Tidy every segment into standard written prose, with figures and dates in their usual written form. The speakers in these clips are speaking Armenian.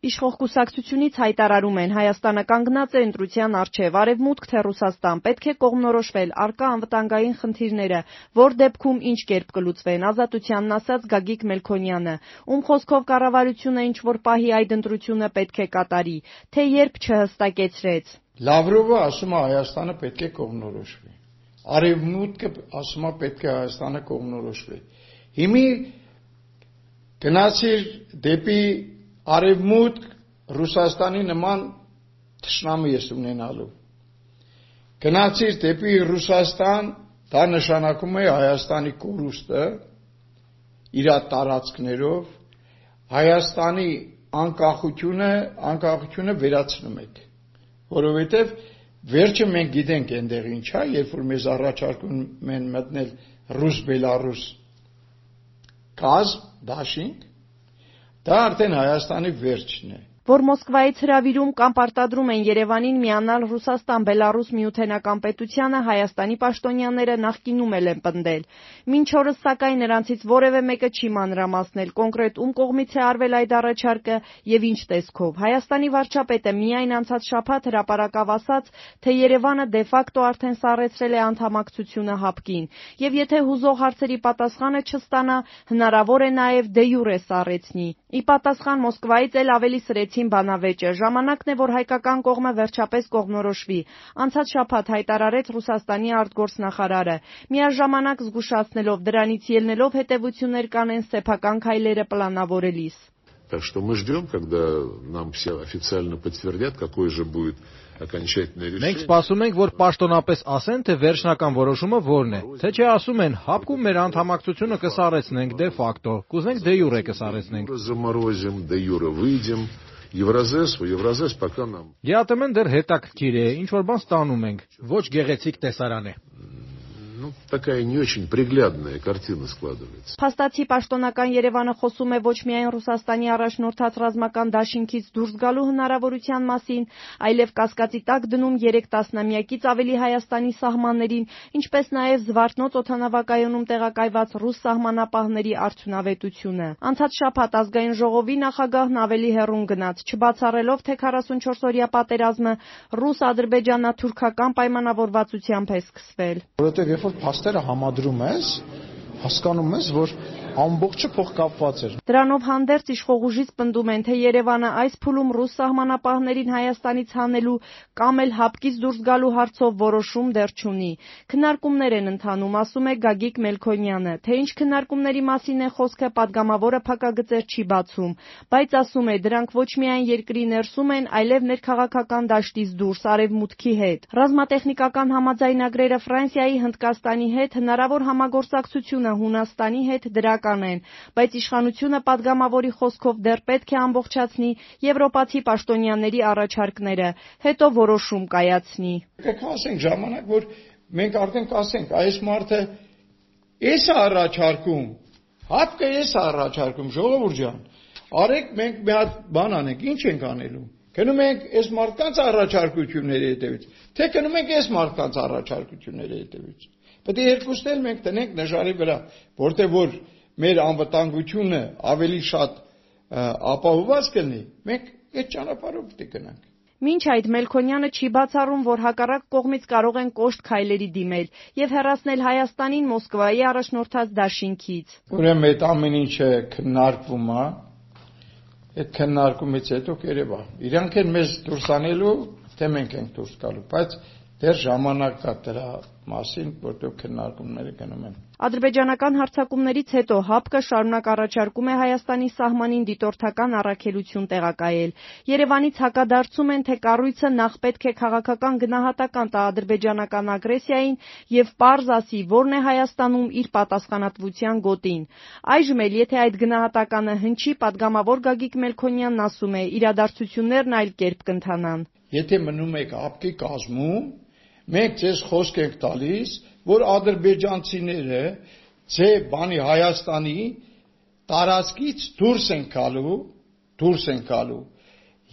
Իշխող կուսակցությունից հայտարարում են, Հայաստանը կանգնած է ընտրության առջև, Արևմուտք թե Ռուսաստան, պետք է կողմնորոշվել առկա անվտանգային խնդիրները, որ դեպքում ինչ կերպ կլուծվեն, Ազատությանն ասաց Գագիկ Մելքոնյանը, ում խոսքով կառավարությունը ինչ-որ պահի այդ ընտրությունը պետք է կատարի, թե երբ չհստակեցրեց. Լավրովը ասում է Հայաստանը պետք է կողմնորոշվի, Արևմուտքը ասում է պետք է Հայաստանը կողմնորոշվի, հիմի գնացիր դեպի Արևմուտք Ռուսաստանի նման թշնամի ես ունենալու, գնացիր դեպի Ռուսաստան, դա նշանակում է Հայաստանի կորուստը իր տարածքներով, Հայաստանի անկախությունը վերացնում եք, որովհետև վերջը մենք գիտենք այնտեղ ինչ է, երբ որ մեզ առաջարկում են մտնել ռուս-բելարուս կազմ, դաշինք, դա արդեն Հայաստանի վերջն է. Որ Մոսկվայից հրավիրում կամ պարտադրում են Երևանին միանալ Ռուսաստան-Բելարուս միութենական պետությանը, Հայաստանի պաշտոնյաները նախկինում են պնդել։ Մինչ օրս սակայն նրանցից որևէ մեկը չի մանրամասնել կոնկրետ ում կողմից է արվել այդ առաջարկը եւ ինչ տեսքով։ Հայաստանի վարչապետը միայն անցած շաբաթ հրապարակավ ասաց, թե Երևանը դե ֆակտո արդեն սառեցրել է անդամակցությունը ՀԱՊԿ-ին, եւ եթե հուզող հարցերի պատասխանը չստանա, հնարավոր է նաեւ դե յուրե սառեցնի։ Ի պատասխան Մոսկվայից էլ ավելի սրեցին բանավեճը։ Ժամանակն է, որ հայկական կողմը վերջապես կողմնորոշվի, անցած շաբաթ հայտարարեց Ռուսաստանի արտգործնախարարը, միաժամանակ զգուշացնելով դրանից ելնելով հետևություններ կանեն սեփական քայլերը պլանավորելիս։ Так что мы ждем, когда нам все официально подтвердят, какой же будет окончательное решение. Մենք սպասում ենք, որ պաշտոնապես ասեն, թե վերջնական որոշումը որն է։ Թե չէ ասում են, ՀԱՊԿ-ում մեր անդամակցությունը կսառեցնենք դե ֆակտո, կուզենք դե յուրե կսառեցնենք։ Заморозим, де юре выйдем. Евразես пока нам. ԵԱՏՄ-ն դեռ հետաքրքիր է, ինչ որ բան ստանում ենք, ոչ գեղեցիկ տեսարան է։ Ну, такая не очень приглядная картина складывается. Փաստացի պաշտոնական Երևանը խոսում է ոչ միայն Ռուսաստանի առաջնորդած ռազմական դաշինքից դուրս գալու հնարավորության մասին, այլև կասկածի տակ դնում 3 տասնամյակից ավելի Հայաստանի սահմաններին, ինչպես նաև Զվարթնոց օդանավակայանում տեղակայված ռուս սահմանապահների արդյունավետությունը։ Անցած շաբաթ ազգային ժողովի նախագահն ավելի հեռուն գնաց, չբացառելով, թե 44-օրյա պատերազմը ռուս-ադրբեջանա-թուրքական պայմանավորվածությամբ է սկսվել։ Որովհետև երբ որ փաստերը համադրում ես, հասկանում ես, որ ամբողջը փոխկապված էր։ Դրանով հանդերձ իշխող ուժից պնդում են, թե Երևանը այս փուլում ռուս սահմանապահներին Հայաստանից հանելու կամ էլ ՀԱՊԿ-ից դուրս գալու հարցով որոշում դեռ չունի։ Քննարկումներ են ընթանում, ասում է Գագիկ Մելքոնյանը, թե ինչ քննարկումների մասին է խոսքը, պատգամավորը փակագծեր չի բացում, բայց ասում է, դրանք ոչ միայն երկրի ներսում են, այլև ներքաղաքական դաշտից դուրս Արևմուտքի հետ։ Ռազմատեխնիկական համաձայնագրերը Ֆրանսիայի, Հնդկաստանի հետ, հնարավոր համագործակցությունը Հունաստանի հետ դրական են, բայց իշխանությունը պատգամավորի խոսքով դեռ պետք է ամբողջացնի եվրոպացի պաշտոնյաների առաջարկները, հետո որոշում կայացնի։ Եկեք ասենք ժամանակ, որ մենք արդեն կասենք, այս մարդը էս է առաջարկում, ՀԱՊԿ-ը էս է առաջարկում, ժողովուրդ ջան, արեք մենք մի հատ բան անենք, ինչ ենք անելու։ Գնում ենք այս մարդկանց առաջարկությունների հետևից, թե գնում ենք այս մարդկանց առաջարկությունների հետևից։ Պետք է երկուսն էլ մենք տնենք նժարի վրա, որտեղ որ մեր անվտանգությունը ավելի շատ ապահովված կլինի, մենք այդ ճանապարհով պետք է գնանք։ Մինչ այդ Մելքոնյանը չի բացառում, որ հակառակ կողմից կարող են կոշտ քայլերի դիմել եւ հեռացնել Հայաստանին Մոսկվայի առաջնորդած դաշինքից։ Ուրեմն այդ ամեն ինչը քննարկվում է, այդ քննարկումից հետո կերևա։ Իրանք են մեզ դուրս անելու, թե մենք ենք դուրս գալու, բայց դեռ ժամանակ կա դրա մասին, որտեղ քննարկումները գնում են։ Ադրբեջանական հարձակումներից հետո ՀԱՊԿ-ը շարունակ առաջարկում է Հայաստանի սահմանին դիտորդական առաքելություն տեղակայել։ Երևանից հակադարձում են, թե կառույցը նախ պետք է քաղաքական գնահատական տա ադրբեջանական ագրեսիային եւ պարզ ասի, որն է Հայաստանում իր պատասխանատվության գոտին։ Այժմ էլ, եթե այդ գնահատականը հնչի, պատգամավոր Գագիկ Մելքոնյանն ասում է, իրադարձություններն այլ կերպ կընթանան։ Եթե մնում եք ՀԱՊԿ-ի կազմում, մենք ձեզ խոսք ենք տալիս, որ ադրբեջանցիները ձեր բանի Հայաստանի տարածքից դուրս են գալու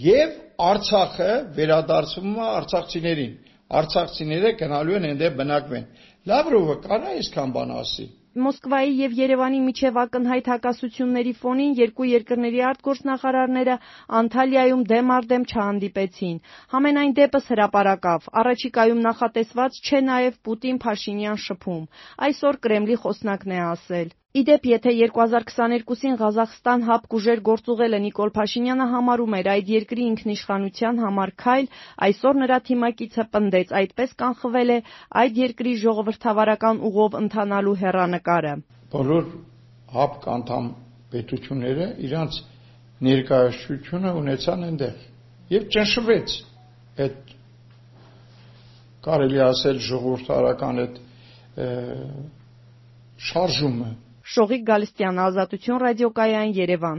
եւ Արցախը վերադարձվում է արցախցիներին։ Արցախցիները գնալու են այնտեղ բնակվեն։ Լավրովը կարա այսքան բան ասի։ Մոսկվայի եւ Երևանի միջև ակնհայտ հակասությունների ֆոնին երկու երկրների արտգործնախարարները Անտալիայում դեմ առ դեմ չհանդիպեցին։ Համենայն դեպս հրապարակավ, առաջիկայում նախատեսված չէ նաեւ Պուտին-Փաշինյան շփում։ Այսօր Կրեմլի խոսնակն է ասել։ Իդեպ, եթե 2022-ին Ղազախստան ՀԱՊԿ ուժեր գործուղելը Նիկոլ Փաշինյանը համարում էր այդ երկրի ինքնիշխանության համար քայլ, այսօր նրա թիմակիցը պնդեց, այդպես կանխվել է այդ երկրի ժողովրդավարական ուղով ընթանալու հեռանկարը։ Բոլոր ՀԱՊԿ անդամ պետությունները իրանց ներկայացությունը ունեցան այնտեղ եւ ճնշվեց այդ կարելի ասել ժողովրդարական այդ շարժումը։ Շողիկ Գալստյան, Ազատություն ռադիոկայան, Երևան։